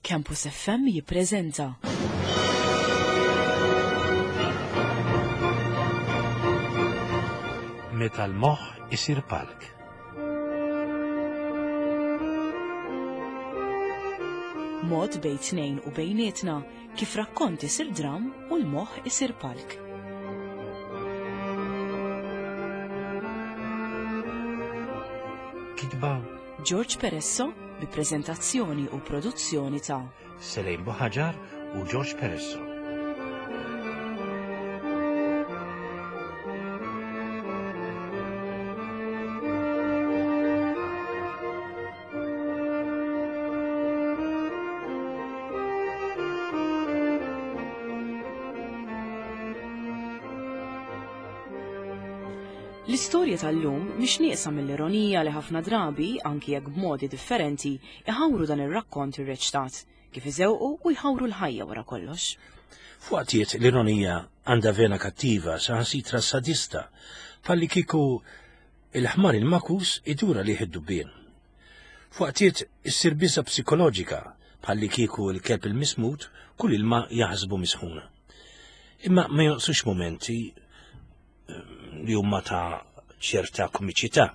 Campus FM jippreżenta. Meta l-moħħ isir palk. Mod bejn tnejn u bejnietna kif rakkont isir dram u l-moħħ isir palk. Kitba George Peresso bi preżentazzjoni u produzzjoni ta' Selejn Buħaġar u George Peresso. L-istorja tal-lum mhix nieqsa mill-ironija li ħafna drabi, anki jekk b'modi differenti, iħawru dan ir-rakkont irreċtat, kif iżewqu u jħawru l-ħajja wara kollox. F'waqtiet l-ironija għandha vena kattiva saħansitra sadista, bħalli kieku il-ħmar il-makus idur għalih id-dubbien. F'waqtiet issir biża' psikoloġika bħalli kieku l-kelb il-mismut kull ilma jaħsbu misħuna. Imma ma jonqsux mumenti li huma ta' ċerta komiċità.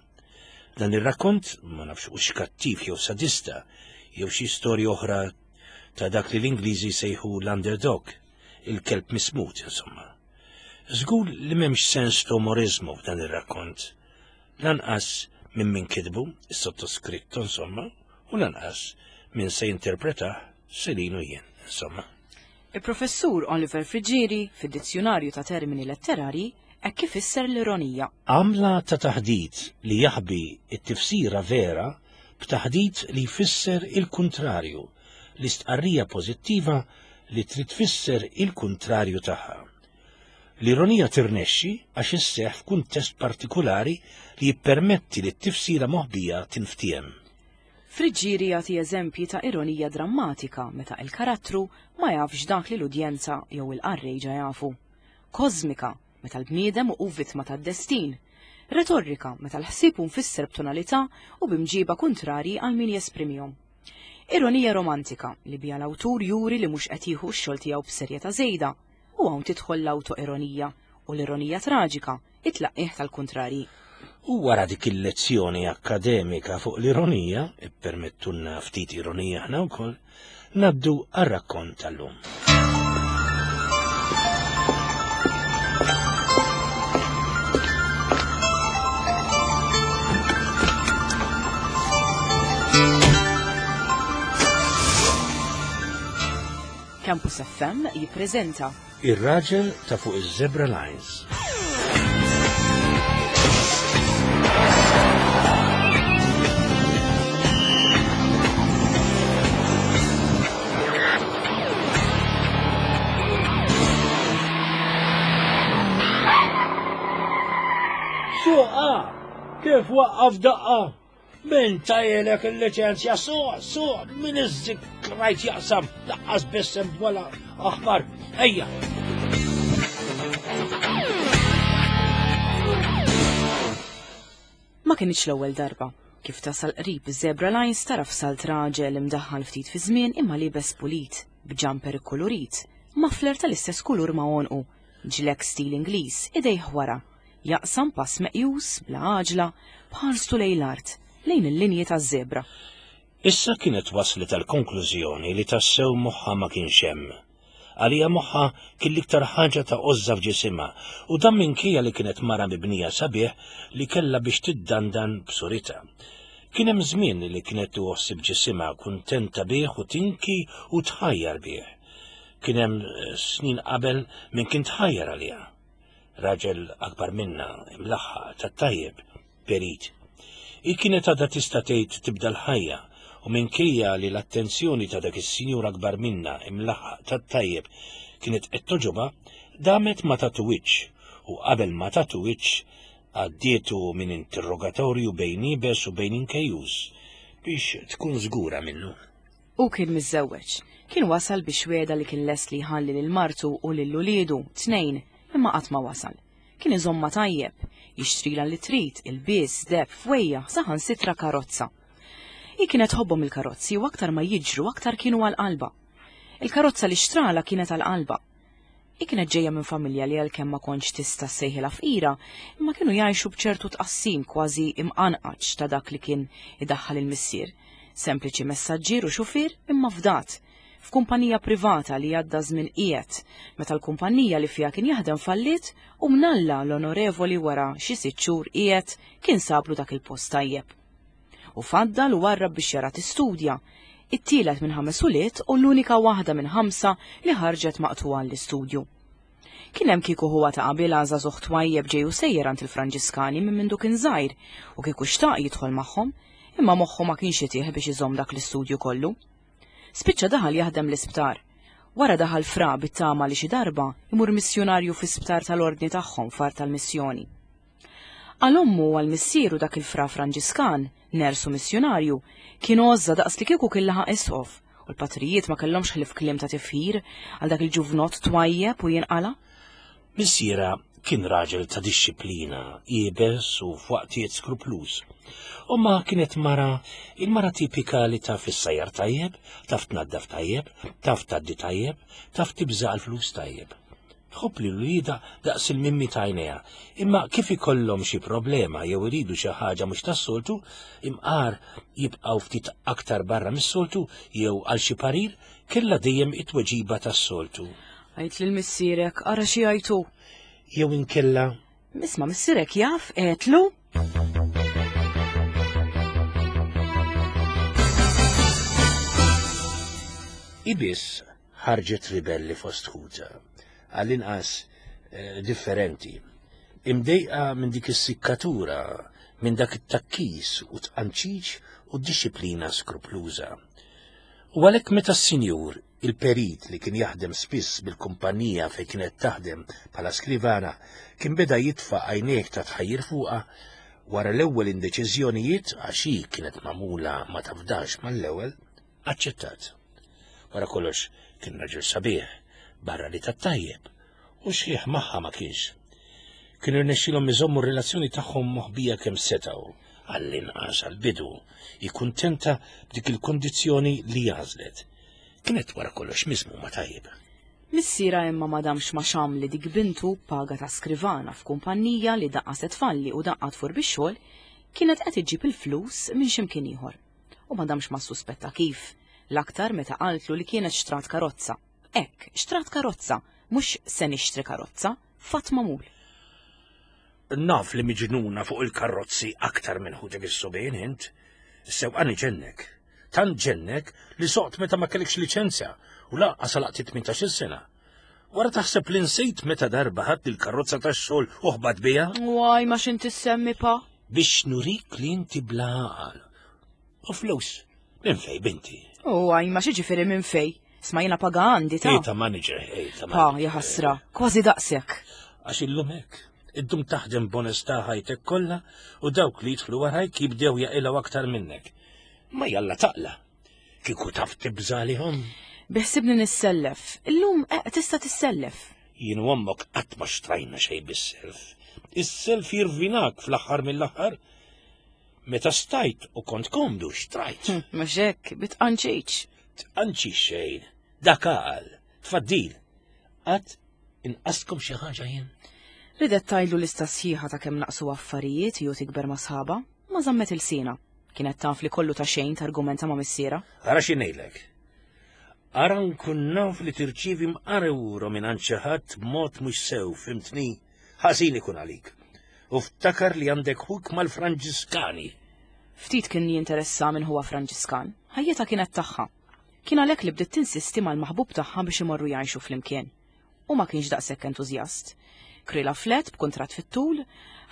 Dan ir-rakkont ma nafx hux kattiv jew sadista jew xi storja oħra ta' dak li l-Ingliżi sejħu l-underdog, il-kelb mismut insomma. Żgur li m'hemmx sens ta' umorizmu f'dan ir-rakkont. Lanqas minn min kitbu, is-sottoskritto insomma, u lanqas min se jinterpretah Selin u jien, insomma. Il-Professur Oliver Friggieri, fid-Dizzjunarju ta' Termini Letterarji, hekk ifisser l-ironija. Għamla ta' taħdit li jaħbi t-tifsira vera b'taħdit li jfisser il-kuntrarju, l-istqarrija pożittiva li trid tfisser il-kuntrarju tagħha. L-ironija tirnexxi għax isseħħ f'kuntest partikulari li jippermetti li t-tifsira moħbija tinftiehem. Friggieri jagħti eżempji ta' ironija drammatika meta il-karattru ma jafx dak li l-udjenza jew il-qarrej ġa jafu. Kożmika, meta l-bniedem hu vittma tad-destin. Retorika, meta l-ħsieb hu mfisser b'tonalità u b'imġiba kuntrarji għal min jesprimihom. Ironija romantika, li biha l-awtur juri li mhux qed jieħu x-xogħol tiegħu b'serjetà żejda, u hawn tidħol l-awtoironija u l-ironija traġika, it-tlaqqigħ tal-kuntrarji. U wara dik il-lezzjoni akkademika fuq l-ironija, ippermettulna ftit ironija aħna wkoll, ngħaddu għar-rakkont tal-lum. Campus FM jippreżenta Ir-raġel ta' fuq iż-Zebra Lines. Suqa! Kif waqqaf daqqa? Min tajjelek il-liċenzja suq, suq, min iżzik rajt jaqsam, laqqas bissem wala aħmar, ejja. Ma kinitx l-ewwel darba. Kif tasal qrib iż-Zebra Lines taraf salt raġel imdaħħal ftit fi żmien imma liebes pulit, b'ġamper ikkulurit, muffler tal-istess kulur ma' għonqu, ġlek stil Ingliż, idejh wara. Jaqsam pass meqjus, bla għaġla, b'ħarstu lejn l-art, lejn il-linji taż-żebra. Issa kienet waslet għall-konklużjoni li tassew moħħha ma kienx hemm. Għaliha moħħha kien l-iktar ħaġa ta' għożża f'ġisimha u dan minkejja li kienet mara mibnija sabiħ li kellha biex tiddandan b'suritha. Kien hemm żmien li kienet tieħu ħsieb ġisimha, kuntenta bih u tinki u tħajjar bih. Kien hemm snin qabel min kien tħajjar għaliha. Raġel akbar minnha, imlaħħaq, tat-tajjeb, perit. Hi kienet għadha tista' tgħid tibda l-ħajja u minkejja li l-attenzjoni ta' dak is-sinjur akbar minnha, imlaħħaq, tat-tajjeb, kienet qed togħġobha, damet ma tagħtu wiċċ u qabel ma tagħtu wiċċ għaddietu minn interrogatorju bejn iebes u bejn inkejjuż biex tkun żgura minnu. Hu kien miżżewweġ. Kien wasal biex wiegħda li kien lest li jħalli lil martu u lil uliedu, tnejn, imma qatt ma wasal. Kien iżommha tajjeb, jixtrilha li trid, ilbies, deheb, fwejjaħ, saħansitra karozza. Hi kienet tħobbhom il-karozzi u aktar ma jiġru aktar kienu għal qalbha. Il-karozza li xtralha kienet għal qalbha. Hi kienet ġejja minn familja li għalkemm ma kontx tista' ssejħilha fqira, imma kienu jgħixu b'ċertu tqassim kważi imqanqaċ ta' dak li kien idaħħal il-missier. Sempliċi messaġġier u xufier imma fdat, f'kumpanija privata li għadda żmien qiegħed, meta l-kumpanija li fiha kien jaħdem falliet u mnalla l-onorevoli wara xi sitt xhur qiegħed kien sablu dak il-post tajjeb. U faddal u warrab biex jara tistudja, it-tielet minn ħames ulied u l-unika waħda minn ħamsa li ħarġet maqtugħa għall-istudju. Kien hemm kieku ħuha ta' qabilha żagħżugħ twajjeb ġej u sejjer għand il-Franġiskani minn mindu kien żgħir u kieku xtaq jidħol magħhom, imma moħħu ma kienx itih biex iżomm dak l-istudju kollu. Spiċċa daħal jaħdem l-isptar. Wara daħal fra bit-tama li xi darba imur missjunarju fi sptar tal-ordni tagħhom f'art tal-missjoni. Għal ommu u għal missieru dak il-fra Franġiskan, ners u missjunarju, kien għożża daqs li kieku kien laħaq isqof, u l-patrijiet ma kellhomx ħlief kliem ta' tifħir għal dak il-ġuvnott twajjeb u jinqala'. Missierha kien raġel ta' dixxiplina, iebes u f'waqtiet skrupluż. Ommha kienet mara, il-mara tipika li taf issajjar tajjeb, taf tnaddaf tajjeb, taf tgħaddi tajjeb, taf tibża' għall-flus tajjeb. Tħobb lil uliedha daqs il-mimmi t'għajnejha, imma kif ikollhom xi problema jew iridu xi ħaġa mhux tas-soltu, imqar jibqgħu ftit aktar barra mis-soltu jew għal xi parir, kellha dejjem it-tweġiba tas-soltu. Għid lil missierek, ara xi jgħid hu. Jew inkella. Isma' missierek jaf, għedtlu? Hi biss ħarġet ribelli fost ħutha, għall-inqas eh, differenti. Imdejqa minn dik is-sikkatura, minn dak it-takkis u tqanċiċ u disciplina skrupluża. U għalhekk meta s-sinjur, il-perit li kien jaħdem spiss bil-kumpanija fejn kienet taħdem bħala skrivana, kien beda jitfa' għajnejh ta' tħajjir fuqha, wara l-ewwel indeċiżjonijiet għax hi kienet magħmula ma tafdax mal-ewwel, aċċettat. Wara kollox kien raġel sabiħ, barra li tat-tajjeb, u xħiħ magħha ma kienx. Kienu rnexxilhom iżommu r-relazzjoni tagħhom moħbija kemm setgħu, għall-inqas għall-bidu, hi kuntenta b'dik il-kondizzjoni li għażlet. Kienet wara kollox miżmuma tajjeb. Missierha imma ma damx ma xamm li dik bintu b'paga ta' skrivana f'kumpannija li daqqa se tfalli u daqqa tfur bix-xogħol, kienet qed iġġib il-flus minn xi mkien ieħor. U ma damx ma ssuspetta kif, l-aktar meta qaltlu li kienet xtrat karozza. Hekk, xtrat karozza, mhux se nixtri karozza, fatt magħmul. Naf li miġnuna fuq il-karozzi aktar minn ħutek is-subien int. Is-sewqan iġennek. Tant ġennek li soqt meta ma kellekx liċenzja u lanqas għalaqt it-18-il sena. Wara taħseb li nsejt meta darba ħadt il-karozza tax-xogħol u ħbat biha? Waj, ma x'inti ssemmi pa? Biex nurik li inti bla għaqal. U flus, minn fej binti? U għaj, ma xieġifieri minn fej? Sma jiena paga għandi ta' Ej ta' manager, ej ta' Pa, jaħasra, kważi daqsek. Għax illum hekk, iddum taħdem b'onestà ħajtek kollha u dawk li jidħlu warajk jibdew jaqilgħu aktar minnek. Ma jalla taqla'. Kieku taf tibża' għalihom. Biħsibni nissellef. Illum eh, tista' tissellef. Jien u ommok qatt ma xtrajna xejn bis-self. Is-self jirvinak fl-aħħar mill-aħħar. Meta stajt u kont komdu xtrajt. Hm, mhux hekk, bitqanċiċ. Tqanċi xejn, dak għal, tfaddil. Qatt inqaskom xi ħaġa jien? Ridet tgħidlu lista sħiħa ta' kemm naqsu affarijiet jew tikber ma' sħaba, ma żammet ilsienha. Kienet taf li kollu ta' xejn targumenta ma' missierha. Ara xi ngħidlek. Ara nkun naf li tirċievi mqar euro minn għand xi ħadd b'mod mhux sew, fhimtni? Ħażin ikun għalik. U ftakar li għandek ħuk mal-Franġiskani. Ftit kien jinteressa min ħuha Franġiskan. Ħajjitha kienet tagħha. Kien għalhekk li bdiet tinsisti mal-maħbub tagħha biex imorru jgħixu flimkien. Hu ma kienx daqshekk entużjast. Krilha flat b'kuntratt fit-tul,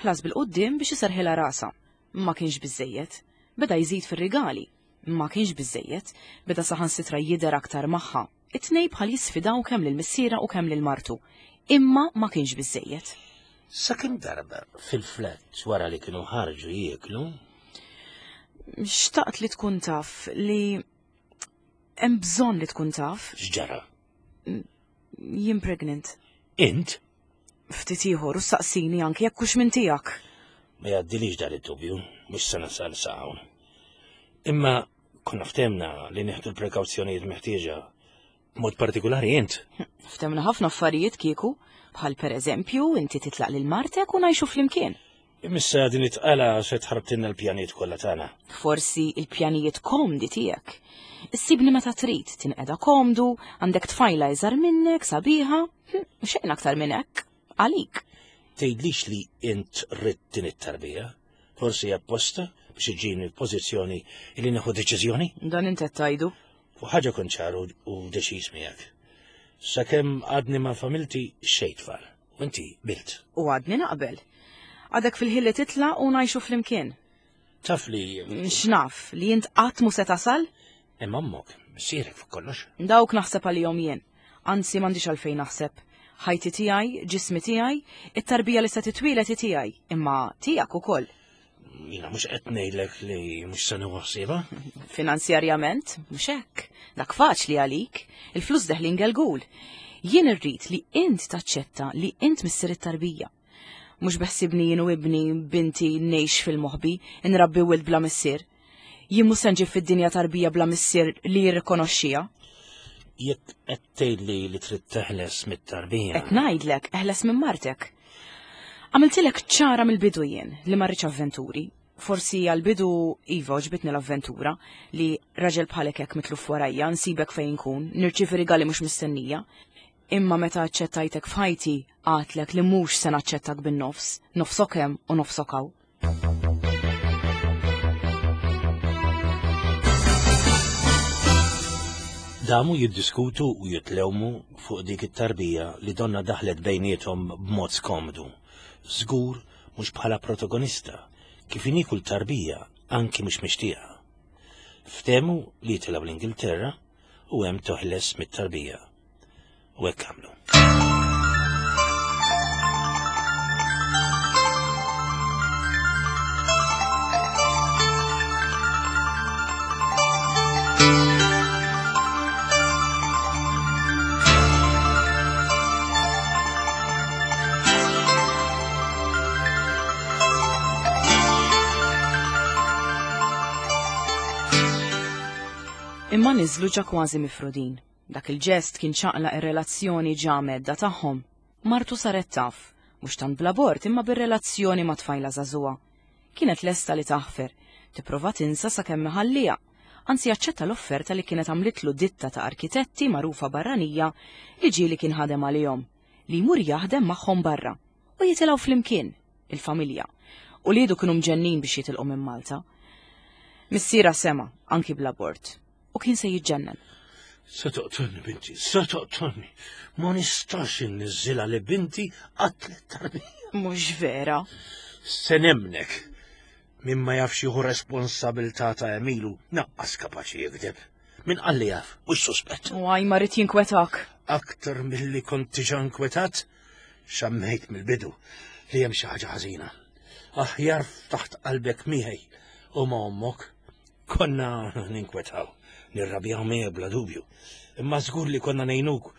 ħlas bil-quddiem biex iserrħilha rasha. Ma kienx biżżejjed. Beda jżid fir-rigali. Ma kienx biżżejjed. Beda saħansitra jidher aktar magħha. It-tnejn bħal jisfidaw kemm lil missierha u kemm lil martu. Imma ma kienx biżżejjed. Sakemm darba fil-flat wara li kienu ħarġu jieklu. Xtaqt li tkun taf li hemm bżonn li tkun taf. X'ġara? Jien pregnant. Int? Ftit ieħor u saqsini anki jekk hux minn tiegħek. Ma jgħaddilix dan id-dubju, mhux se nasal sa hawn. Imma konna ftemna li nieħdu l-prekawzjonijiet meħtieġa. Mod partikulari int. Ftemna ħafna affarijiet kieku, bħal per eżempju inti titlaq lil martek u ngħixu flimkien. Imissa din it-tqala se tħarbtilna l-pjanijiet kollha tagħna. Forsi il-pjanijiet komdi tiegħek. Issibni meta trid, tinqeda komdu, għandek tfajla iżgħar minnek, sabiħa, hm, xejn aktar minn hekk, għalik. Tgħidlix li int ridt din it-tarbija? Forsi apposta biex iġġibni f'pożizzjoni li nieħu deċiżjoni? Dan int qed tgħidu. Fuq ħaġa kont ċar u deċiż miegħek. Sakemm għadni ma' familti xejn tfal. U inti bilt. U għadni naqbel. Għadek fil-ħin li titla' u ngħixu flimkien. Taf li. X'naf, li int qatt mhu se tasal? Imma ommok, missierek fuq kollox. Dawk naħseb għalihom jien. Anzi m'għandix għalfejn naħseb. Ħajti tiegħi, ġismi tiegħi, it-tarbija li se titwieled hi tiegħi, imma tiegħek ukoll. Jiena mhux qed ngħidlek li mhux se nieħu ħsiebha. Finanzjarjament, mhux hekk. Dak faċli għalik, il-flus deħlin gelgul. Jien irrid li int taċċetta li int missier it-tarbija. Mhux beħsibni jien u ibni binti ngħix fil-moħbi, inrabbi wild bla missier. Jien mhux se nġib fid-dinja tarbija bla missier li jirrikonoxxiha. Jekk qed tgħidli li trid teħles mit-tarbija. Qed ngħidlek eħles minn martek. Għamiltilek ċara mill-bidu jien li ma rridx avventuri. Forsi għall-bidu iva għoġbitni l-avventura li raġel bħalek hekk mitluf warajja, nsibek fejn inkun, nirċievi rigali mhux mistennija. Imma meta aċċettajtek f'ħajti, għadtlek li mhux se naċċettak bin-nofs, nofsok hemm u nofsok hawn. Damu jiddiskutu u jitlewmu fuq dik it-tarbija li donna daħlet bejniethom b'mod skomdu. Żgur mhux bħala protagonista, kif inhi kull tarbija anki mhux mixtieqa. Ftehmu li jitilgħu l-Ingilterra u hemm toħles mit-tarbija. U hekk għamlu. Imma niżlu ġa kważi mifrudin. Dak il-ġest kien ċaqlaq ir-relazzjoni ġa mhedda tagħhom. Martu saret taf, mhux tant bl-abort imma bir-relazzjoni ma' tfajla żagħżugħa. Kienet lesta li taħfer, tipprova tinsa sakemm iħalliha, anzi aċċetta l-offerta li kienet għamlitlu ditta ta' arkitetti magħrufa barranija li ġieli kien ħadem għalihom, li jmur jaħdem magħhom barra u jitilgħu flimkien, il-familja. Uliedu kienu mġennin biex jitilqu minn Malta. Missierha sema', anki bl-abort. u kien se jiġġennen. Se toqtolni binti, se toqtolni. Ma nistax inniżżilha li binti qatlet tarbija. Mhux vera. Se nemnek. Min ma jafx jieħu responsabilità ta' Emilu naqqas kapaċi jikdeb. Min qalli jaf, mhux suspett. U għaj ma rrid jinkwetak. Aktar milli kont diġà nkwetat, xammejt mill-bidu li hemm xi ħaġa ħażina. Aħjar ftaħt qalbek miegħi u ma' ommok. Konna ninkwetaw, nirrabjaw miegħek bla dubju, imma żgur li konna ngħinuk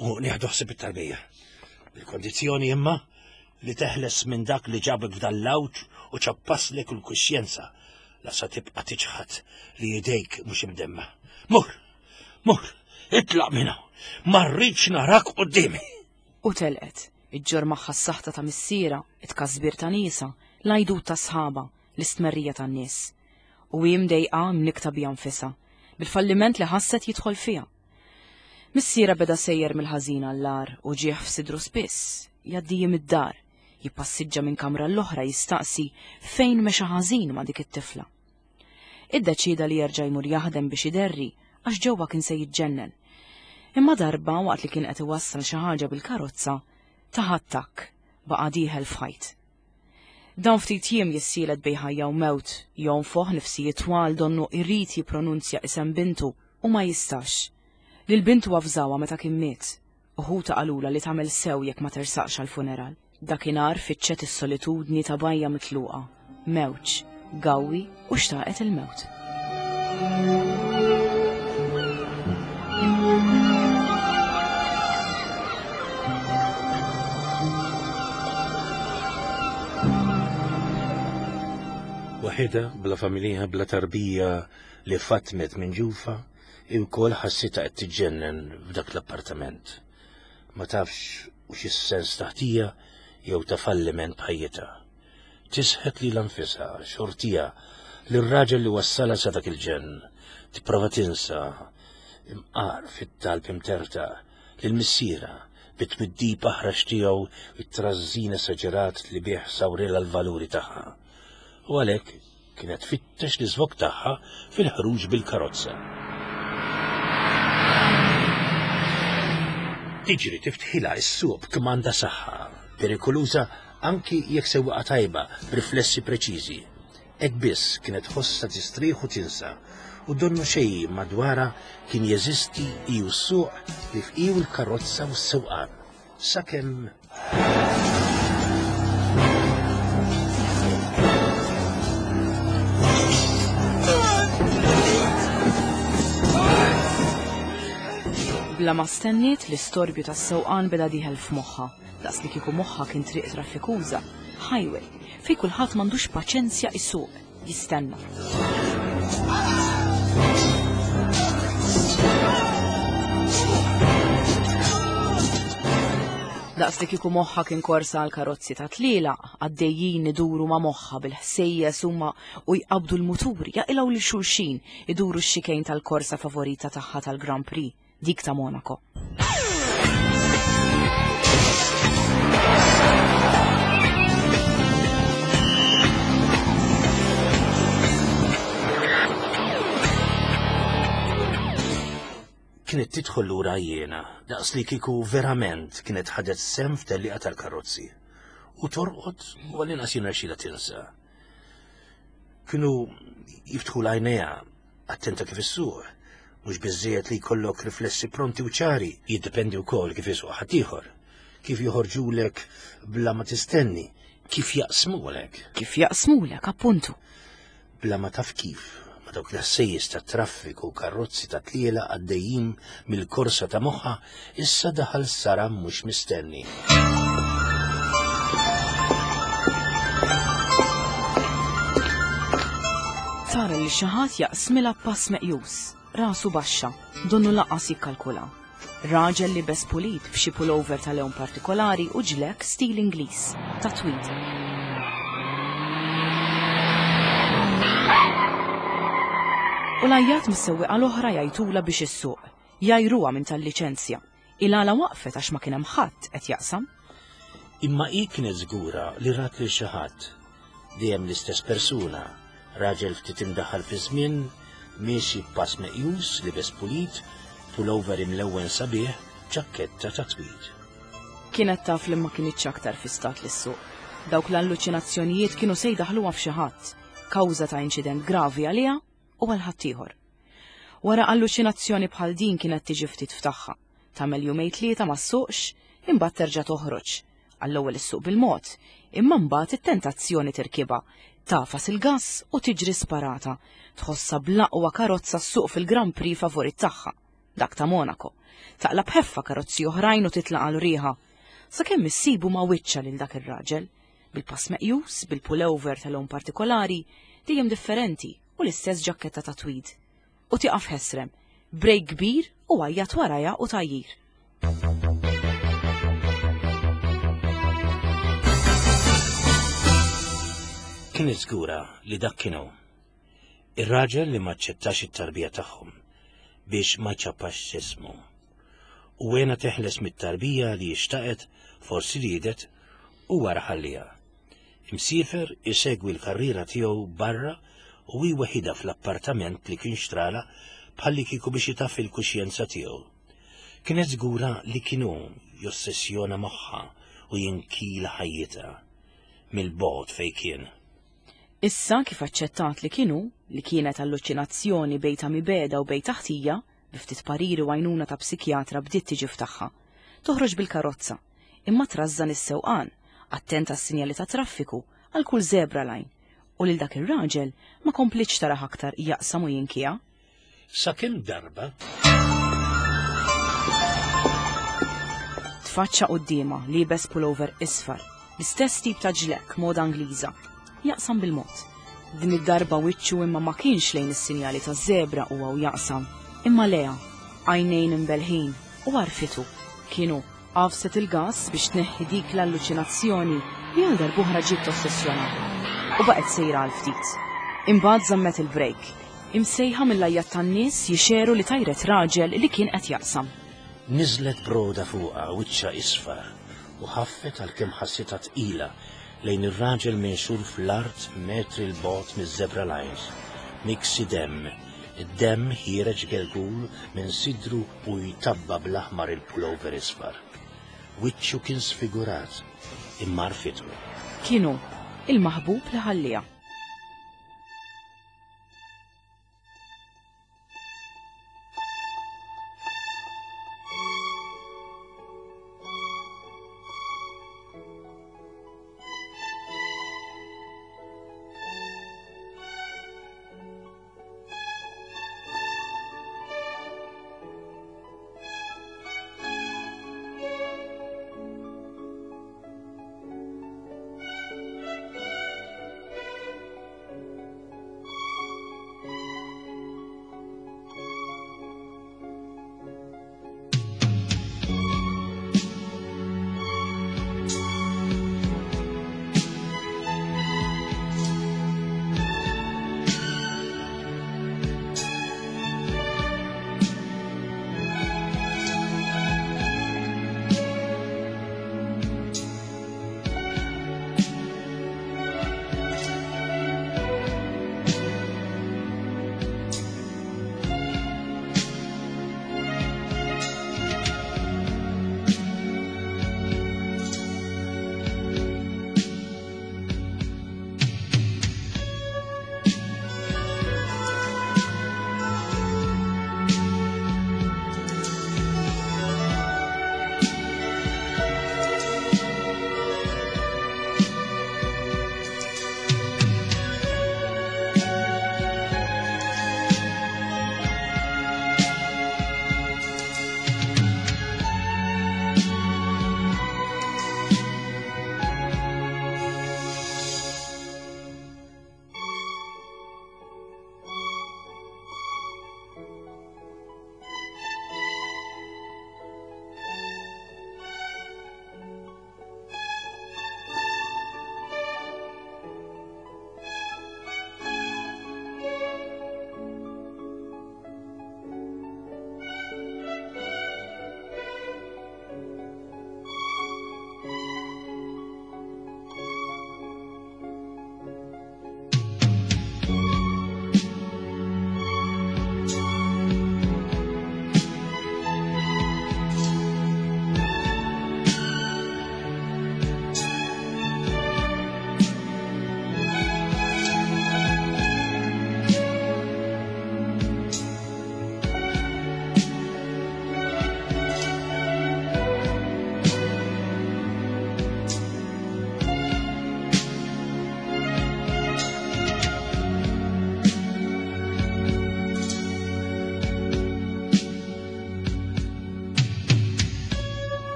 u nieħdu ħsieb it-tarbija. Il-kondizzjoni imma li teħles minn dak li ġabek f'dan l-għawġ u ċappaslek il-kuxjenza la sa tibqa' tiċħad li idejk mhux imdemma. Mur, mur, itlaq minn hawn, ma rridx narak quddiemi. U telqet, iġġorr magħha s-saħta ta' missierha, it-tkasbir ta' niesha, l-għajdut ta' sħabha, l-istmerrija tan-nies. U hi mdejqa mnikkta biha nfisha, bil-falliment li ħasset jidħol fiha. Missierha beda sejjer mill-ħażin għall-agħar u ġieħ f'sidru spiss, jgħaddi jiem id-dar, jippassiġġa minn kamra għall-oħra jistaqsi fejn mexa ħażin ma' dik it-tifla. Iddeċieda li jerġa' jmur jaħdem biex iderri għax ġewwa kien se jiġġennen. Imma darba waqt li kien qed iwassal xi ħaġa bil-karozza, tah attakk, baqa' dieħel f'ħajt. Dawn ftit jiem jissielet bejn ħajja u mewt, jonfoħ nifsijiet twal donnu jrid jippronunzja isem bintu u ma jistax. Lil bintu avżawha meta kien miet, u ħutha qalulha li tagħmel sew jekk ma tersaqx għall-funeral. Dakinhar fittxet is-solitudni ta' bajja mitluqa, mewġ, gawwi u xtaqet il-mewt. Waħedha, bla familja, bla tarbija li fatmet minn ġufa, hi wkoll ħassitha qed tiġġennen f'dak l-appartament. Ma tafx u xi sens ta' ħtija jew ta' falliment b'ħajjitha. Tisħet lilha nfisha, xortiha, lir-raġel li wassalha sa dak il-ġenn. Tipprova tinsa, imqar fit-talb imtertaq, lil missierha, bit-twiddib aħrax tiegħu u t-trażżin esaġerat li bih sawrilha l-valuri tagħha. U għalhekk kienet tfittex l-iżvog tagħha fil-ħruġ bil-karozza. Tiġri tiftħilha s-suq b'kmanda saħħa, perikoluża anki jekk sewwieqa tajba b'riflessi preċiżi. Hekk biss kienet tħossha tistrieħ u tinsa, u donnu xejn madwarha kien jeżisti hi u s-suq li f'iu l-karozza u s-sewqan. Sakemm Bla ma stenniet l-istorbju tas-sewqan beda dieħel f'moħħha, daqs li kieku moħħha kien triq traffikuża, highway, fejn kulħadd m'għandux paċenzja isuq. jistenna. Daqs li kieku moħħa kien korsa għal karozzi ta' tliela, għaddejjin iduru ma' moħħa bil-ħsejjes huma u jqabdu l-muturi, jaqilgħu lil xulxin, iduru x-xikejn tal-korsa favorita tagħha tal-Grand Prix. dik ta' Monaco. Kienet tidħol lura jiena, daqs li kieku verament kienet ħadet sem f'tellieqa tal-karozzi. U torqod u għall-inqas jirnexxilha tinsa. Kienu jiftħu l-għajnejha Attenta kif issuq. Mhux biżżejjed li jkollok riflessi pronti u ċari, jiddependi wkoll kif isuq ħaddieħor. Kif joħorġulek bla ma tistenni, kif jaqsmulek. Kif jaqsmulek, appuntu. Bla ma taf kif, ma dawk l-ħsejjes ta' traffiku u karozzi ta' tliela għaddejjin mill-korsa ta' moħħa, issa daħal saram mhux mistenni. Tara li xi ħadd jaqsmilha pass meqjus, rasu baxxa, donnu lanqas jikkalkula. Raġel li bes pulit b'xi pullover ta' lewn partikolari u ġlek stil Ingliż, ta' tweed. U l-għajjat mis-sewwieqa l-oħra jgħajtulha biex issuq. Jgħajruha minn tal-liċenzja. Il-għala waqfet għax ma kien hemm ħadd qed jaqsam. Imma hi kienet żgura li rat lil xi ħadd. Dejjem l-istess persuna, raġel ftit imdaħħal fiż-żmien, miexi b'pass meqjus, libes pulit, pullover imlewwen sabiħ, ġakketta ta' tweed. Kienet taf li ma kinitx aktar fi stat li ssuq. Dawk l-alluċinazzjonijiet kienu se jdaħħluha f'xi ħadd, kawża ta' inċident gravi għaliha u għal ħaddieħor. Wara alluċinazzjoni bħal din kienet tiġi ftit f'tagħha. Tagħmel jumejn tlieta ma ssuqx, imbagħad terġa' toħroġ. Għall-ewwel issuq bil-mod, imma mbagħad it-tentazzjoni tirkibha, tagħfas il-gass u tiġri sparata. Tħossha bl-aqwa karozza ssuq fil-Grand Prix favorit tagħha, dak ta' Monaco. Taqla' b'ħeffa karozzi oħrajn u titlaq għal riħa. Sakemm issibu ma' wiċċha lil dak ir-raġel. Bil-pass meqjus, bil-pullover ta' lewn partikolari, dejjem differenti u l-istess ġakketta ta' tweed. U tieqaf ħesrem, brejk kbir u għajjat warajha u tgħajjir. Kienet żgura li dak kien hu. Ir-raġel li ma aċċettax it-tarbija tagħhom biex ma jċappax ismu. U għena teħles mit-tarbija li xtaqet, forsi riedet, u wara ħalliha. Imsiefer isegwi l-karriera tiegħu barra u hi weħidha fl-appartament li kien xtralha bħallikieku biex itaffi l-kuxjenza tiegħu. Kienet żgura li kien hu jossessjona moħħha u jinkila ħajjitha mill-bogħod fejn kien. Issa kif aċċettat li kien hu, li kienet alluċinazzjoni bejn ta' mibegħda u bejn ta' ħtija, bi ftit pariri u għajnuna ta' psikjatra bdiet tiġi f'tagħha. Toħroġ bil-karozza, imma trażżan is-sewqan, attent għas-sinjali tat-traffiku, għal kull zebra line, u lil dak ir-raġel ma komplitx tarah aktar jaqsam u jinkiha. Sakemm darba. Tfaċċa quddiemha liebes pullover isfar, l-istess tip ta' ġlekk moda Ingliża. Jaqsam bil-mod. Din id-darba wiċċu imma ma kienx lejn is-sinjali taż-żebra huwa u jaqsam, imma lejha, għajnejn imbellħin, u għarfitu. Kien hu. Għafset il-gass biex tneħħi dik l-alluċinazzjoni li għal darb'oħra ġiet tossessjonaha. U baqgħet sejra għal ftit. Imbagħad żammet il-brejk, imsejħa mill-għajjat tan-nies jixegħru li tajret raġel li kien qed jaqsam. Niżlet broda fuqha wiċċha isfar u ħaffet għalkemm ħassitha tqila lejn ir-raġel minxur fl-art metri 'l bogħod miż-zebra lines, miksi demm, id-demm ħiereġ gelgul minn sidru u jtabba' bl-aħmar il-pullover isfar. Wiċċu kien sfigurat, imma għarfitu. Kien hu, il-maħbub li ħallieha.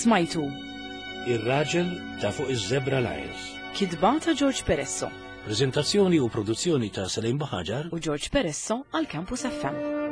Smajtu. Ir-raġel ta' fuq iż-Zebra Lines. Kitba ta' George Peresso. Preżentazzjoni u produzzjoni ta' Salim Buhaġar u George Peresso għal Campus FM.